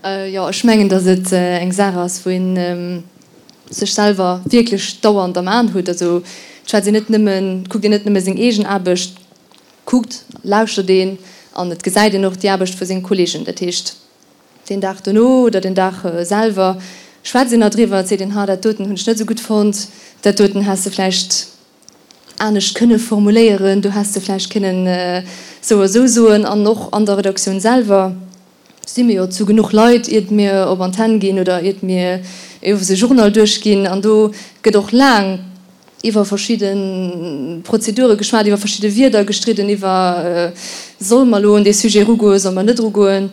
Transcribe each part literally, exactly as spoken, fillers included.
Jo, ech mengen, datt et eng Saach ass, wou ee sech selwer wierklech dauernd am Aen huet. Also et schwätzt een net nëmmen, et kuckt een net nëmme seng eegen Aarbecht, kuckt, lauschtert een an et gesäit een och déi Aarbecht vu senge Kolleegen. Dat heescht, deen Dag dono oder den Dag selwer schwätzt een nach driwwer, et seet een, ha dat doten hunn ech net esou gutt fonnt, dat doten häss de vläicht anescht kënne formuléieren, do häss de vläicht kënnen esou a sou soen. An och an der Redaktioun selwer si mir jo zu genuch Leit, iert mir op Antenn ginn oder iert mir owes e Journal duerchginn. An do gëtt och laang iwwer verschidde Prozedure geschwat, iwwer verschidde Wierder gestridden, iwwer, Solle mer elo un dee Sujet erugoen, solle mer net erugoen,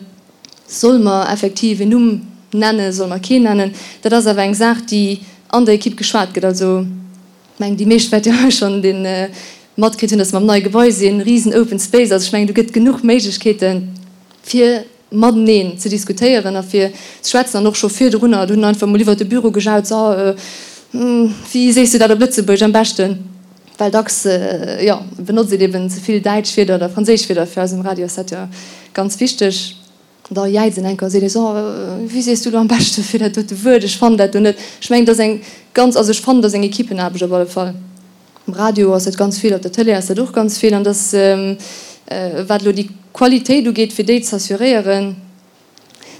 solle mer effektiv en Numm nennen, solle mer keen nennen? Dat ass awer eng Saach, déi an der Ekipp geschwat gëtt. Also, ech mengen, déi meescht wäerte jo hei schonn dee matkritt hunn, dass mer am neie Gebai sinn, risen Open Space. Also ech mengen, do gëtt genuch Méiglechkeeten, fir mateneen ze diskutéieren a fir ze schwätzen. An och scho virdrunner, do hunn einfach mol iwwert de Büro gejaut, So, wéi sees du dat op Lëtzebuergesch am beschten? Well dacks, jo, benotzt een eben ze vill däitsch Wierder oder franséisch Wierder. Fir eis um Radio ass dat jo ganz wichteg. Da jäizt en enker a seet ee, So, wéi sees du elo am beschte fir dat dote Wuert? Ech fannen dat do net. Ech mengen, dat ass eng ganz, also ech fannen, dat ass eng Equippenaarbecht op alle Fall. Um Radio ass dat ganz vill, op der Tëlee ass dat och ganz vill. An dass, wat elo déi Qualitéit ugeet, fir déi z'assuréieren,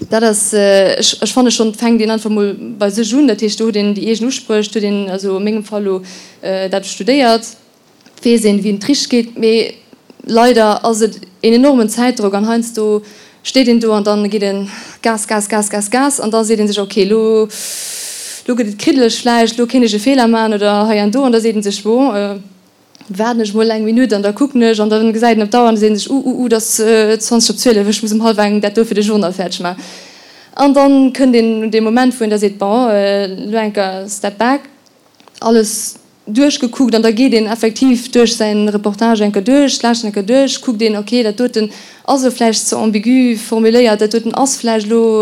dat ass, ech, ech fanne schonn, et fänkt een einfach mol bei sech un. Dat heescht, do huet een déi eegen Uspréch, do huet een, also a mengem Fall elo, dat studéiert, weess een, wéi et richteg geet. Mee leider ass et een enormen Zäitdrock an heiansdo steet een do an dann geet een Gas, Gas, Gas, Gas, Gas an da seet een sech, ok, elo, elo gëtt et kriddeleg vläicht, elo kéint ech e Feeler maachen oder hei an do an da seet een sech, bon, waarden ech mol eng Minutt an da kucken ech an da gesäit een op d'Auer an da seet een sech, uh, uh, uh, et ass zwanzeg op zwielef, ech muss um hallwer eng dat do fir de Journal fäerdeg maachen. An dann kënnt een un dee Moment, wou een da seet, bon, elo eng Kéier step back, alles duerchgekuckt an da geet een effektiv duerch säin Reportage eng Kéier duerch, lauschtert eng Kéier duerch, kuckt een, ok, dat doten ass elo vläicht ze ambigu formuléiert, dat doten ass vläicht elo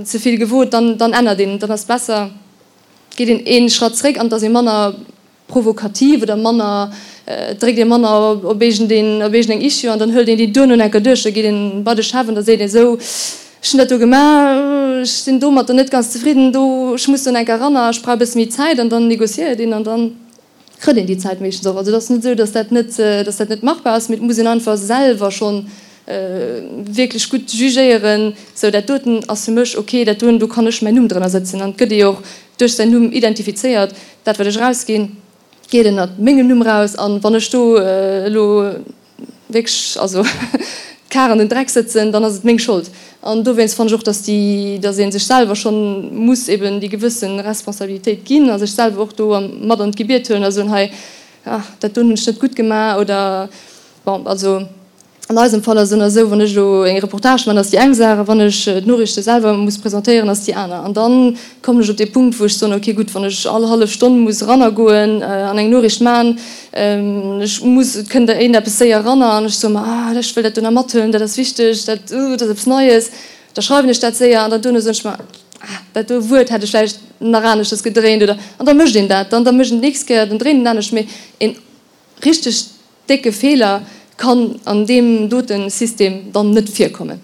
ze vill gewot, dann dann ännert een, dann ass besser, geet een ee Schratt zréck an et ass ee manner provokativ oder manner, et dréckt ee manner op iergendeen, op iergendeng Issue an dann hëlt een déi duerno eng Kéier duerch, da geet een bei de Chef an da seet een, esou, ech hunn dat do gemaach, ech sinn domatter net ganz zefridden, do, ech muss do nach eng Kéier eranner, ech brauch e bësse méi Zäit an dann négociéiert een an dann kritt een déi Zäit meeschtens och. Also et ass net esou, datt dat net, datt dat net machbar ass, mee et muss een einfach selwer schonn wierklech gutt jugéieren, sou dat doten ass fir mech ok, dat doen, do kann ech mäin Numm drënner sëtzen an et gëtt ee jo och duerch säin Numm identifizéiert, dat wat ech erausginn, geet ënnert mengem Numm raus an wann ech do elo wierklech also d'Kar an den Dreck sëtzen, dann ass et meng Schold. An dowéinst fannen ech och, dass déi, dass ee sech selwer schonn muss eben déi gewësse Responsabilitéit ginn a sech selwer och do mat an d'Gebiet huelen a soen, hei, ah, dat doen hunn ech net gutt gemaach oder bon, also an eisem Fall ass et esou, wann ech elo eng Reportage man, ass déi eng Saach, a wann ech d'Noriichte selwer muss presentéieren, ass déi aner. An dann kommen ech op dee Punkt, wou ech soen, okay, gutt, wann ech all hallef Stonn muss erannergoen an eng Noriicht man, ech muss, et kënnt iergendeppes séier eranner an ech soe mer, ah, ech wëll dat do nach mathuelen, dat ass wichteg, dat, uh, dat ass eppes Neies, da schreiwen ech dat séier an dann duerno soen ech mer, ah, dat do Wuert hätt ech vläicht nach aneschters gedréint oder, an da mécht een dat, dann da mécht een d'nächst Kéier, dann dréint een anescht, mee een richteg décke Feeler kann an deem dote System dann net virkommen.